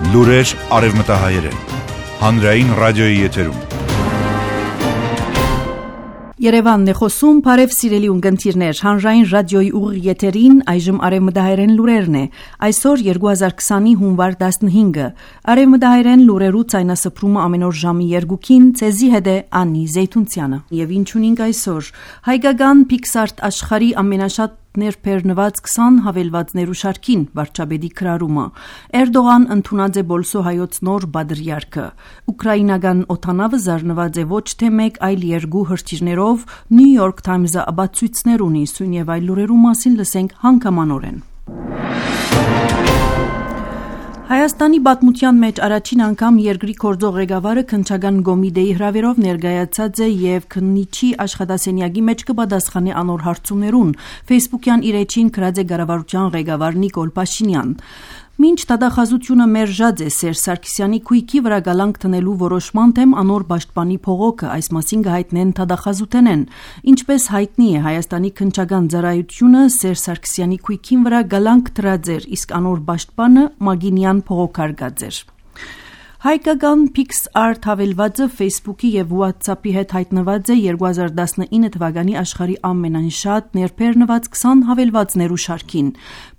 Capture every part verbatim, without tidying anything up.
Լուրեր արևմտահայերեն, հանրային ռադիոյի եթերում։ Երևանն է խոսում, բարև սիրելի ունկնդիրներ, հանրային ռադիոյի ուղիղ եթերին այժմ արևմտահայերեն լուրերն է, այսօր երկու հազար քսանի հունվար տասնհինգը, արևմտահայերեն լուրերու ցայնասփռումը ամեն օր ժամի երկուքին, ցեզի հետ է Անի Զեյթունցյանը, եւ ինչ ունենք այսօր, հայկական Pixart աշխարհի ամենաշատ ներբեռնված քսան հավելվածներու շարքին վարչապետի քրարումը, Էրդողան ընդունած է բոլսո հայոց նոր բادرյարքը, ուկրաինական օդանավը զարնված է ոչ թե մեկ, այլ երկու հրթիռներով, New York Times-ը աբացույցներ ունի, սույն եւ այլ լուրերու մասին լսենք հանգամանորեն։ Հայաստանի պատմության մեջ առաջին անգամ երկրի գործող ղեկավարը քննչական կոմիտեի հրավերով ներկայացած է եւ քննիչի աշխատասենյակի մեջ կպատասխանի անոր հարցումներուն, Facebook-յան իր էջին գրած է կառավարության ղեկավար Նիկոլ Փաշինյան։ Մինչ դատախազությունը մերժած է Սերժ Սարգսյանի քույքի վրա գալանք տնելու որոշման թեմ անոր պաշտպանի փողոքը, այս մասին կհայտնեն դատախազութենեն։ Ինչպես հայտնի է, Հայաստանի քննչական ծառայությունը Սերժ Սարգսյանի քույքին վրա գալանք դրած էր, իսկ անոր պաշտպանը Մագինյան փողոքարկած էր։ Հայկական Pixart հավելվածը Facebook-ի եւ WhatsApp-ի հետ հայտնված է երկու հազար տասնինը թվականի աշխարհի ամենաշատ ներբեռնված քսան հավելվածներու շարքին։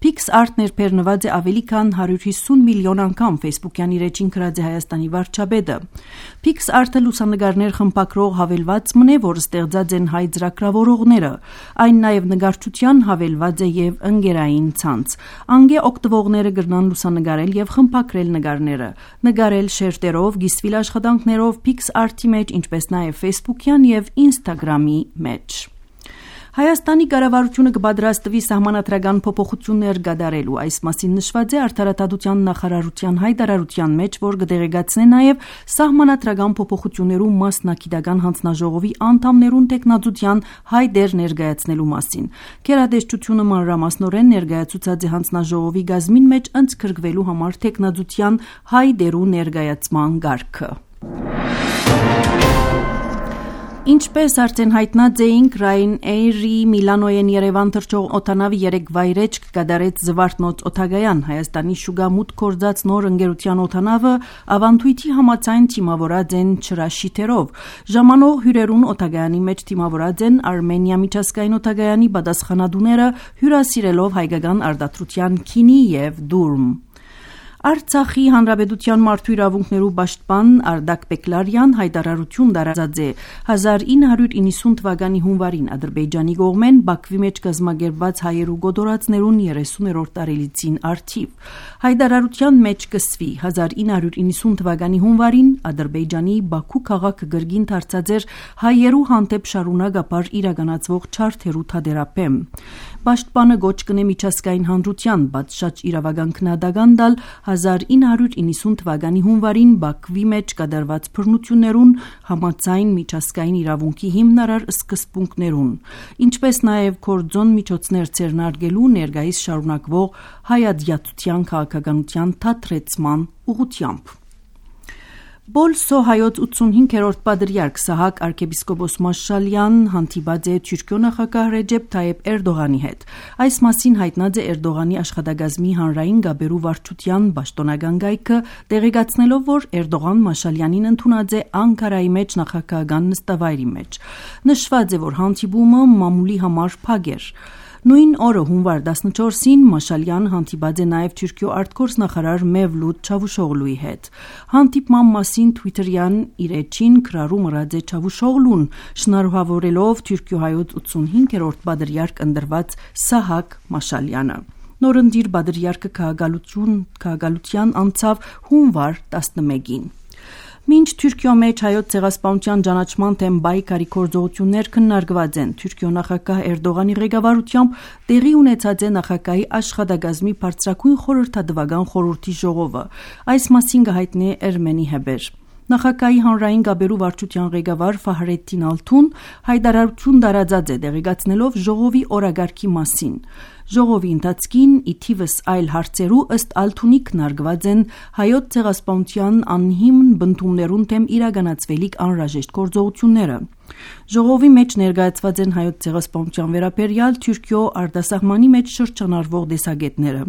Pixart ներբեռնված է ավելի քան հարյուր հիսուն միլիոն անգամ, Facebook-յան իր էջին գրած է Հայաստանի վարչապետը։ Pixart-ը լուսանկարներ խմբագրող հավելված մնե, որ ստեղծած են հայ ծրագրավորողները։ Այն նաեւ նկարչության հավելված է եւ ընկերային ցանց։ Անգե օգտվողները կգնան լուսանկարել եւ խմբագրել նկարները, նկարել շերտերով, գիսվիլ աշխատանքներով Pixart-ի մեջ, ինչպես նաև Facebook-յան եւ Instagram-ի մեջ։ Հայաստանի կառավարությունը կպատրաստվի սահմանադրական փոփոխություններ կատարելու, այս մասին նշված է Արդարադատության նախարարության հայտարարության մեջ, որ կդեղեկացնի նաև սահմանադրական փոփոխություններու մասնակիտական հանձնաժողովի անդամներուն տեխնազության հայտեր ներկայացնելու մասին։ Գերատեսչությունը մանրամասնորեն ներկայացուցած է հանձնաժողովի գազմին մեջ ընդգրկվելու համար տեխնազության հայտերու ներկայացման կարգը։ Ինչպես արդեն հայտնած էինք, Ryanair-ի Միլանոյեն Երևան թռչող օդանավի երեք վայրէջք կատարեց Զվարթնոց օդագայան։ Հայաստանի շուգամուտք գործած նոր ընկերության օդանավը ավանդույթի համաձայն թիմավորած են չրաշիթերով։ Ժամանող հյուրերուն օդագայանի մեջ թիմավորած են Արմենիա միջազգային օդագայանի պատասխանատուները, հյուրասիրելով հայկական արտադրության քինի եւ դուրմ։ Արցախի հանրապետության մարդու իրավունքներու պաշտպան Արդակ Բեկլարյան հայտարարություն տարածած է հազար ինը հարյուր իննսուն թվականի հունվարին Ադրբեջանի կողմեն Բաքվի մեջ կազմակերպված հայերու գոդորածներուն երեսուներորդ տարելիցին արդիվ։ Հայտարարության մեջ կսվի հազար ինը հարյուր իննսուն թվականի հունվարին Ադրբեջանի Բաքու քաղաքը գրգին դարձած էր հայերու հանդեպ շարունակաբար իրականացվող չարթերու թադերապեմ։ Պաշտպանը գոչ կնե միջազգային հանրության պատշաճ իրավական քննադատական տալ հազար ինը հարյուր իննսուն թվականի հունվարին Բաքվի մեջ կատարված բռնություններուն համաձայն միջազգային իրավունքի հիմնարար սկզբունքներուն, ինչպես նաև գործոն միջոցներ ձեռնարկելու ներկայիս շարունակվող հայադյացության քաղաքականության թատրեցման ուղղությամբ։ Բոլսո հայոց ութսունհինգերորդ բادرյարք Սահակ arczepiskopos Մաշալյան հանդիպած է Թուրքիո նախագահ Ռեջեփ Թայեփ Էրդողանի հետ։ Այս մասին հայտնած է Էրդողանի աշխատակազմի հանրային գաբերու վարչության պաշտոնական գայքը, տեղեկացնելով, որ Էրդողան Մաշալյանին ընդունած է Անկարայի մեջ նախագահական նստավայրի մեջ։ Նշված է, որ հանդիպումը մամուլի համար փակ էր։ Նույն օրը հունվար տասնչորսին Մաշալյան հանդիպած է նաև Թուրքիո արտգործ նախարար Մևլութ Չավուշօղլուի հետ։ Հանդիպման մասին Twitter-յան իր էջին գրառում ըրած է Չավուշօղլուն, շնորհավորելով Թուրքիո հայոց ութսունհինգերորդ բادرյարք ընտրված Սահակ Մաշալյանը։ Նորընտիր բادرյարքը քաղաքալություն քաղաքալության անցավ հունվար տասնմեկին։ Մինչ Թուրքիո մեջ հայոց ցեղասպանության ճանաչման թեմ բայկարի գործողություններ քննարկված են, Թուրքիո նախագահ Էրդողանի ղեկավարությամբ տեղի ունեցած է նախագահի աշխատակազմի բարձրագույն խորհրդատվական խորհրդի ժողովը։ Այս մասին կհայտնի Էրմենի Հեբեր։ Նախագահի հանրային գաբերու վարչության ղեկավար Ֆահրեդդին Ալթուն հայտարարություն տարածած է, տեղեկացնելով ժողովի օրագարկի մասին։ Ժողովի ընթացքին ի թիվս այլ հարցերու ըստ Ալթունի քննարկված են հայոց ցեղասպանության անհիմն բնդումներուն թեմ իրականացվելիք անհրաժեշտ գործողությունները։ Ժողովի մեջ ներկայացված են հայոց ցեղասպանության վերաբերյալ Թուրքիո արտասահմանի մեջ շրջանառվող տեսակետները։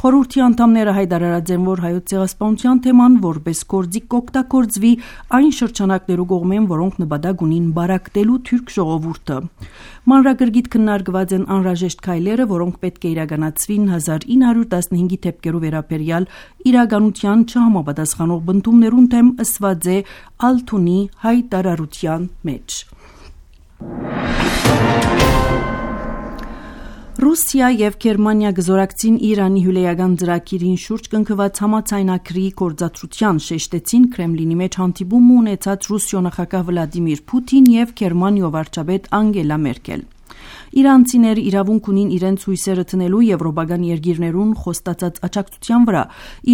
Խորհրդի անդամները հայտարարած են, որ հայոց ցեղասպանության թեման որպես գործիք կօգտագործվի այն շրջանակներու կողմեն, որոնք նպատակ ունին բարակտելու թուրք ժողովուրդը։ Մանրակրկիտ քննարկված են անհրաժեշտ քայլերը, որոնք պետք է իրականացվին հազար ինը հարյուր տասնհինգի թեփքերու վերաբերյալ իրականության չհամապատասխանող բնդումներուն թեմ ըսված է Ալթունի հայտարարության մեջ։ Ռուսիա եւ Գերմանիա գզորակցին Իրանի հյուրեական ծրագիրին շուրջ կնքված համաձայնագրի գործադրության շեշտեցին Կրեմլինի մեջ հանդիպում ունեցած Ռուսիո նախագահ Վլադիմիր Պուտին եւ Գերմանիո վարչապետ Անգելա Մերկել։ Իրանցիները իրավունք ունին իրենց հույսերը տնելու եվրոպական երկիրներուն խոստացած աջակցության վրա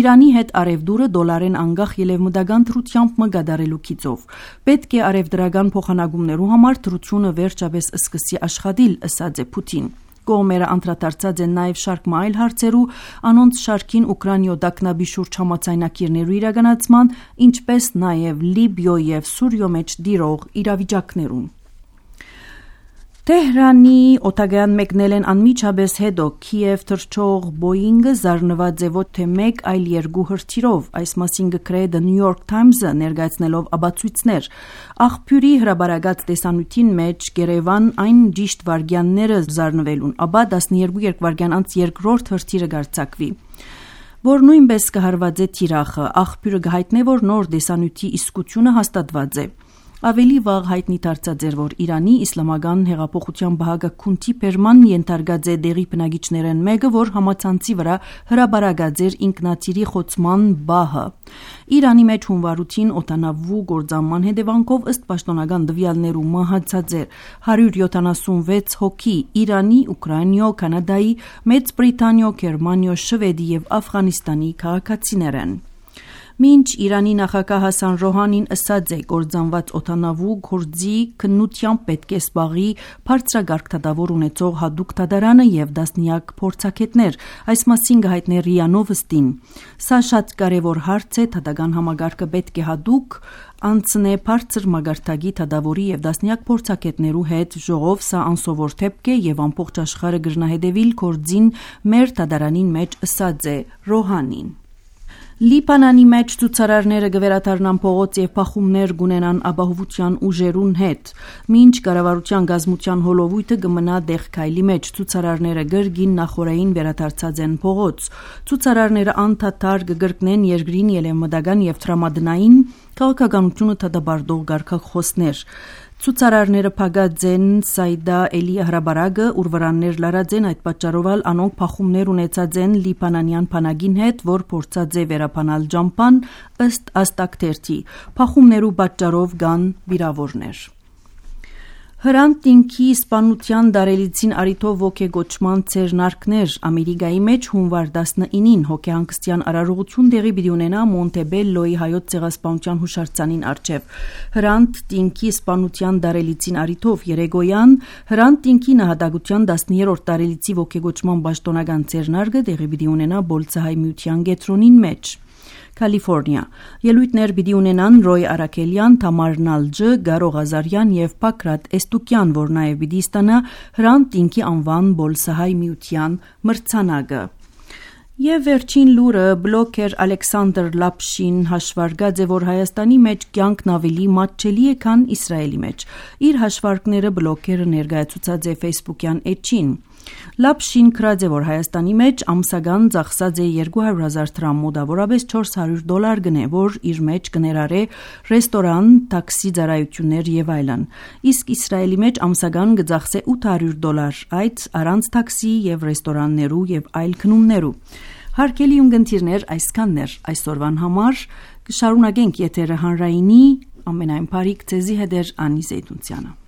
Իրանի հետ արևդուրը դոլարեն անգախ ելևմտական դրությամբ մգադարելու քիծով։ Պետք է արևդրական փոխանակումներու համար դրությունը վերջապես սկսի աշխատել, ըսած է Պուտին։ Կողմերը անդրադարձած են նաև շարք այլ հարցերու, անոնց շարքին Ուկրաինայո դակնաբի շուրջ համաձայնագիրներու իրականացման, ինչպես նաև Լիբիո եւ Սուրիո մեջ դիրող իրավիճակներուն։ Թեհրանի օտագայան մեկնել են անմիջապես հետո Քիև թռչող Boeing-ը զարնված է ոչ թե մեկ, այլ երկու հրթիռով, այս մասին գրել է The New York Times-ը ներկայացնելով աբացույցներ։ Աղբյուրի հրաբարացած տեսանյութին մեջ Գերևան այն ճիշտ վարքյանները զարնվելուն, ապա տասնյոթ երկվայրկյան անց երկրորդ հրթիռը գարցակվի, որ նույնպես կհարված է թիրախը։ Աղբյուրը գահիտնե, որ նոր տեսանյութի իսկությունը հաստատված է։ Ավելի վաղ հայտնի դարձած էր, որ Իրանի իսլամական հեղափոխության բահագահքունթի բերման ենթարկած է դեղի բնակիչներեն մեկը, որ համացանցի վրա հրաբարացած էր ինքնաթիռի խոցման բահը։ Իրանի մեջ հունվարութին օդանավու գործանման հետևանքով ըստ պաշտոնական տվյալներու մահացած էր հարյուր յոթանասունվեց հոգի Իրանի, Ուկրաինայո, Կանադայի, Մեծ Բրիտանիո, Գերմանիո, Շվեդի եւ Աֆղանիստանի քաղաքացիներ են։ Մինչ Իրանի նախագահ Հասան Ռոհանին ըսած է գործանված օդանավու գործի քննությամբ պետք է զբաղի բարձրագարկ դատավոր ունեցող հատուկ դատարանը եւ դասնյակ փորձագետներ, այս մասին գահիտնե ՌԻԱ Նովոստին։ Սա շատ կարևոր հարց է, դատական համագարկը պետք է հատուկ անցնե բարձր մագարտակի դատավորի եւ դասնյակ փորձագետներու հետ, ժողով սա անսովոր դեպք է եւ ամբողջ աշխարհը գրնահետեւիլ գործին մեր դատարանին մեջ ըսած է Ռոհանին։ Լիբանանի մեջ ցուցարարները գվերադառնան փողոց եւ փախումներ գունենան ապահովության ուժերուն հետ։ Մինչ կառավարության գազმության հոլովույթը կմնա դեղքայլի մեջ, ցուցարարները գրգին նախորային վերադարձած են փողոց։ Ցուցարարները անդադար կգրկնեն երկրին ելեմտական եւ տրամադրային քաղաքականությունը դադարող գարկախոսներ։ Ցուցարարները փակած են Սայդա Էլի հրաբարակը, ուր վրաններ լարած են, այդ պատճառով անոնք փախումներ ունեցած են լիբանանյան բանակին հետ, որ փորձած է վերապանալ ջամփան, ըստ Աստակտերթի։ Փախումներու պատճառով կան վիրավորներ։ Հրանտ ինքի իսպանության դարելիցին արիթով ոգեգոճման ցերնարկներ Ամերիկայի մեջ հունվար տասնինին հոգեհանգստյան արարողություն դեղի պիտի ունենա Մոնտեբելլոյի հայոց ցեղասպանության հուշարձանին առջև։ Հրանտ ինքի իսպանության դարելիցին արիթով երեգոյան Հրանտ ինքի նահատակության տասներորդ տարելիցի ոգեգոճման պաշտոնական ցերնարկը դեղի պիտի ունենա Բոլցահայ միության գետրոնին մեջ։ Կալիֆոռնիա ելույթներ պիտի ունենան Ռոյ Արաքելյան, Թամար Նալջը, Գարո Ղազարյան եւ Պակրատ Էստուկյան, որ նաեւ պիտի ստանա Հրանտ ինքի անվան Բոլսահայ միության մրցանակը։ Եվ վերջին լուրը բլոգեր Ալեքսանդր Լապշին հաշվարկած է, որ Հայաստանի մեջ կյանքն ավելի մատչելի է, քան Իսրայելի մեջ։ Իր հաշվարկները բլոգերը ներկայացուցած է Facebook-յան էջին։ Լապշին գրած է, որ Հայաստանի մեջ ամսական ծախսած է երկու հարյուր հազար դրամ, մոտավորապես չորս հարյուր դոլար գնե, որ իր մեջ կներառե ռեստորան, տաքսի ծառայություններ եւ այլն։ Իսկ Իսրայելի մեջ ամսական կծախսե ութ հարյուր դոլար, այդ առանց տաքսի եւ ռեստորաններու եւ այլ գնումներու։ Հարգելի ունգընտիրներ, այսքանն էր այսօրվան համար, կշարունակենք եթերը հանրայինի ամենայն բարիք ձեզի հետ Անի Զեյթունցյանը։